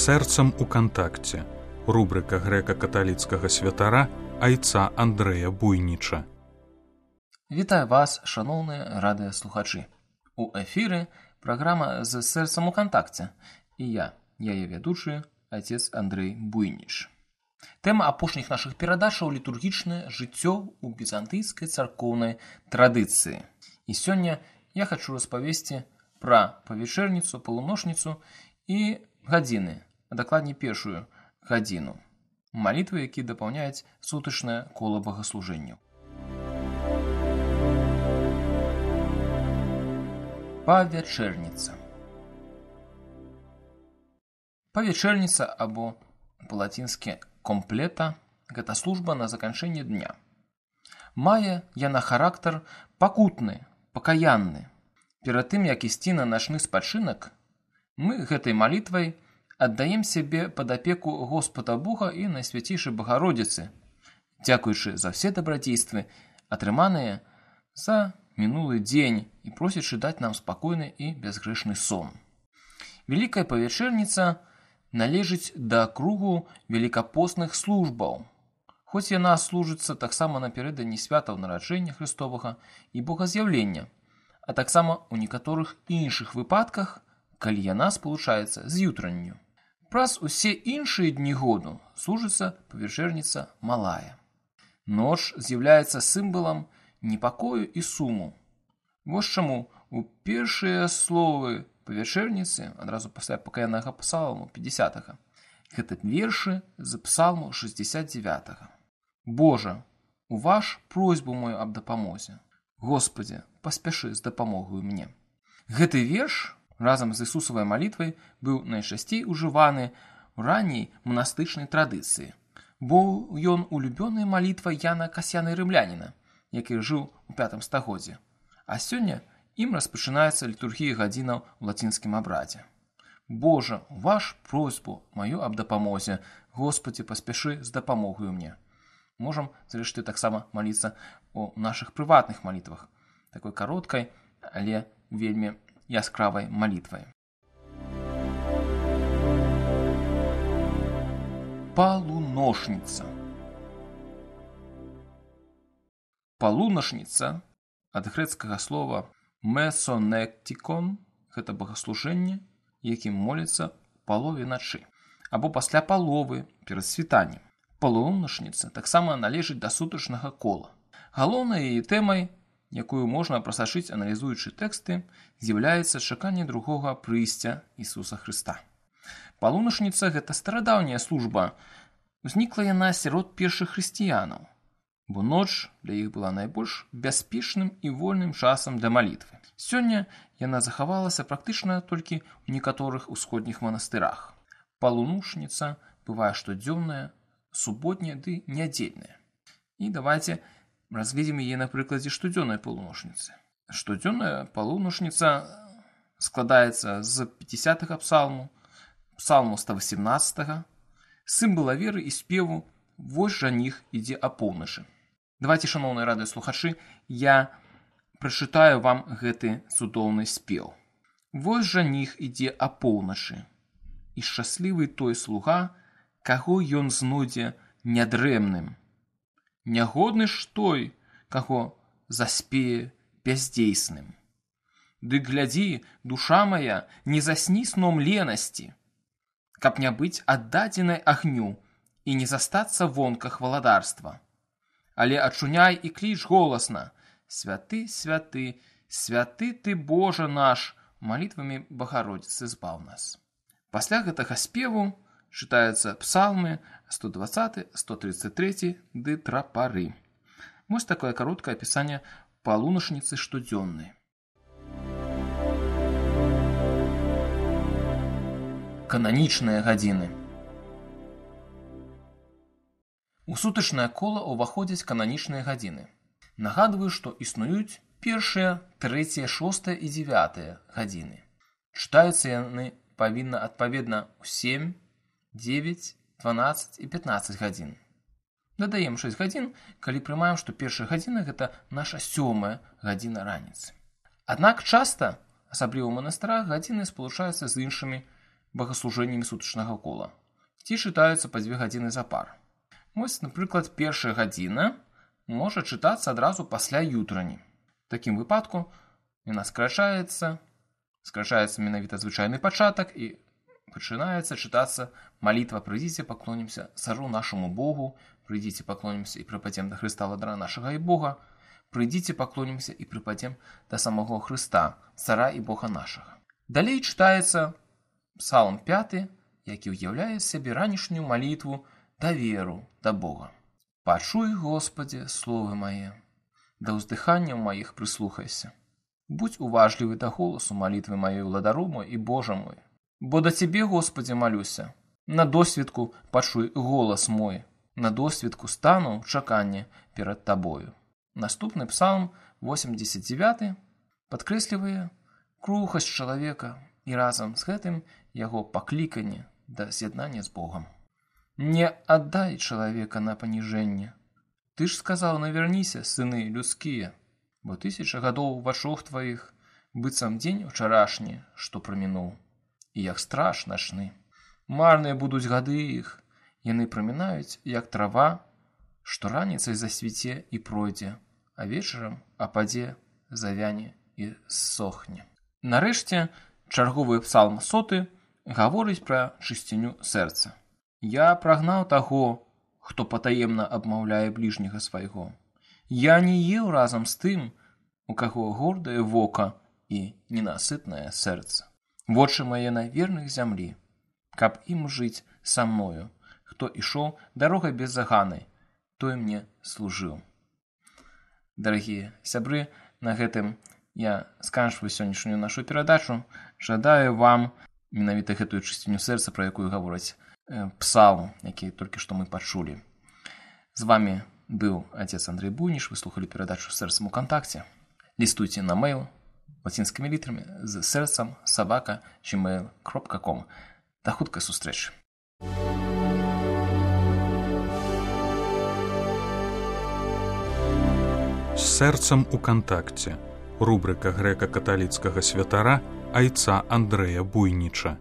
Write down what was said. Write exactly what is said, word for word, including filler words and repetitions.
Сэрцам у кантакце. Рубрика грэка-каталіцкага святара айца Андрэя Буйніча. Вітаю вас, шаноўныя радыёслухачы. У эфіры праграма з сэрцам у кантакце. І я, яе вядучы, айцец Андрэй Буйніч. Тэма апошніх нашых перадачаў літургічнае жыццё ў візантыйскай царкоўнай традыцыі. І сёння я хачу распавесці пра павячэрніцу, палуношніцу і гадзіны, а дакладней першую гадзіну. Малітвы, які дапаўняюць сутачнае кола богаслужэнняў. Павячэрніца. Павячэрніца або па-лацінскі комплета – гэта служба на заканчэнне дня. Мае яна характар пакутны, пакаянны. Перад тым, як ісці на начны спачынак, мы гэтай малітвай аддаем сябе пад апеку Господа Бога і Найсвяцейшай Багародзіцы, дзякуючы за ўсе дабрадзействы, атрыманыя за мінулы дзень і просячы даць нам спакойны і бязгрэшны сон. Вялікая павячэрніца належыць да кругу велікапостных службаў, хоць яна служыцца таксама напярэдадні святаў нараджэння Хрыстовага і Богаз'яўлення, а таксама ў некаторых іншых выпадках, калі яна спалучаецца з ютранню. Праз усе іншыя дні году служыцца павячэрніца малая. Ноч з'яўляецца сімвалам непакою і суму. Вось чаму у першыя словы павячэрніцы, адразу пасля пакаяннага псалму пятьдесятага, гэта вершы з псалму шестьдесят девятага. Божа, уваж просьбу мою аб дапамозе. Господи, паспяшы з дапамогаю мне. Гэты верш разам з Ісусавай малітвай быў найчасцей ужываны ў ранняй манастычнай традыцыі, бо ён улюбёная малітва Яна Касьяна Рымляніна, які жыў у пятым стагоддзі. А сёння ім распачынаецца літургія гадзінаў у лацінскім абрадзе. Божа, уваж просьбу маю аб дапамозе. Господі, паспяшы з дапамогаю мне. Можам, зрэшты, таксама маліцца ў нашых прыватных малітвах, такой кароткай, але вельмі яскравай малітвай. Палуношніца. Палунашніца ад грэцкага слова месонектикон – гэта богаслужэнне, якім моліцца палове начы, або пасля паловы перад світаннем. Палунашніца таксама належыць да сутачнага кола. Галоўнай яе тэмай, якую можна прасачыць, аналізуючы тэксты, з'яўляецца чаканне другога прыйсця Ісуса Хрыста. Палунашніца – гэта старадаўняя служба. Узнікла яна сярод першых хрысціянаў, бо ноч для іх была найбольш бяспечным і вольным часам для малітвы. Сёння яна захавалася практычна толькі ў некаторых усходніх манастырах. Палунашніца бывае штодзённая, суботняя ды нядзельная. І давайце разгледзім яе на прыкладзе штодзённай палунашніцы. Штодзённая палунашніца складаецца з пятидесятага псалму, псалму сто восемнадцатага, сімвала веры і спеву «Вось жаніх ідзе апоўначы». Давайце, шаноўныя радыёслухачы, я прачытаю вам гэты цудоўны спеў. «Вось жаніх ідзе апоўначы, і шчаслівы той слуга, каго ён знойдзе нядрэмным. Нягодны ж той, каго заспее бяздзейсным. Ды глядзі, душа мая, не засні сном ленасці, каб не быць аддадзенай агню і не застацца вонках валадарства. Але ачуняй і кліч голасна: святы, святы, святы ты, Божа наш, малітвамі Багародзіцы збаў нас». Пасля гэтага спеву чытаюцца псалмы сто двадцаты, сто тридцать третий ды трапары. Вось такое кароткае апісанне палунашніцы штодзённай. Кананічныя гадзіны. У сутачнае кола ўваходзяць кананічныя гадзіны. Нагадваю, што існуюць першыя, трэція, шостая і дзевятая гадзіны. Чытаюцца яны павінна адпаведна ў сем, дзевяць, дванаццаць і пятнаццаць гадзін. Дадаем шэсць гадзін, калі прымаем, што першая гадзіна – гэта наша сёмая гадзіна раніцы. Аднак часта, асабліва ў манастырах, гадзіны спалучаюцца з іншымі богаслужэннямі сутачнага кола, ці чытаюцца па дзве гадзіны запар. Вось, напрыклад, першая гадзіна можа чытацца адразу пасля ютрані. В такім выпадку яна скарачаецца, скарачаецца менавіта звычайны пачатак і пачынаецца чытацца малітва «Прыйдзіце, паклонімся цару нашаму Богу», «Прыйдзіце, паклонімся і прыпадзем да Хрыста владара нашага і Бога», «Прыйдзіце, паклонімся і прыпадзем да самого Хрыста, цара і Бога нашага». Далей чытаецца Псалм пяты, які ўяўляе сябе ранішнюю малітву даверу да Бога. «Пачуй, Господи, словы мае, да ўздыханняў маіх прыслухайся. Будь уважлівы да голасу малітвы маёй, владару мой і Божа мой. Бо да Цябе, Господи, малюся, на досвідку пачуй голас мой, на досвідку стану ў чаканні перад Табою». Наступны псалм, восемьдесят девяты, падкрэслівае крухасць чалавека і разам з гэтым яго пакліканне да з'яднання з Богам. «Не аддай чалавека на паніжэнне. Ты ж сказаў, наверніся, сыны людскія, бо тысяча гадоў вачох тваіх, быццам дзень учарашні, што прамінуў, і як страж начны. Марныя будуць гады іх, яны прамінаюць, як трава, што раніцай засвіце і пройдзе, а вечарам ападзе, завяне і ссохне». Нарэшце, чарговы псалм соты гаворыць пра чысціню сэрца. «Я прагнаў таго, хто патаемна абмаўляе бліжняга свайго. Я не еў разам з тым, у каго гордае вока і ненасытнае сэрца. Вочы мае на верных зямлі, каб ім жыць са мною. Хто ішоў дарогай беззаганай, той мне служыў». Дарагія сябры, на гэтым я сканчваю сённяшнюю нашу перадачу. Жадаю вам менавіта гэтую чысціню сэрца, пра якую гавораць псалм, які толькі што мы пачулі. З вами быў отец Андрей Буйніш. Вы слухалі перадачу «Сэрцам у кантакце». Лістуйце на мейл лацінскімі літарамі з сэрцам сабака джимейл кропка ком. Да хуткай сустрэчы. З сэрцам у кантакце. Рубрика грэка-каталіцкага святара айца Андрэя Буйніча.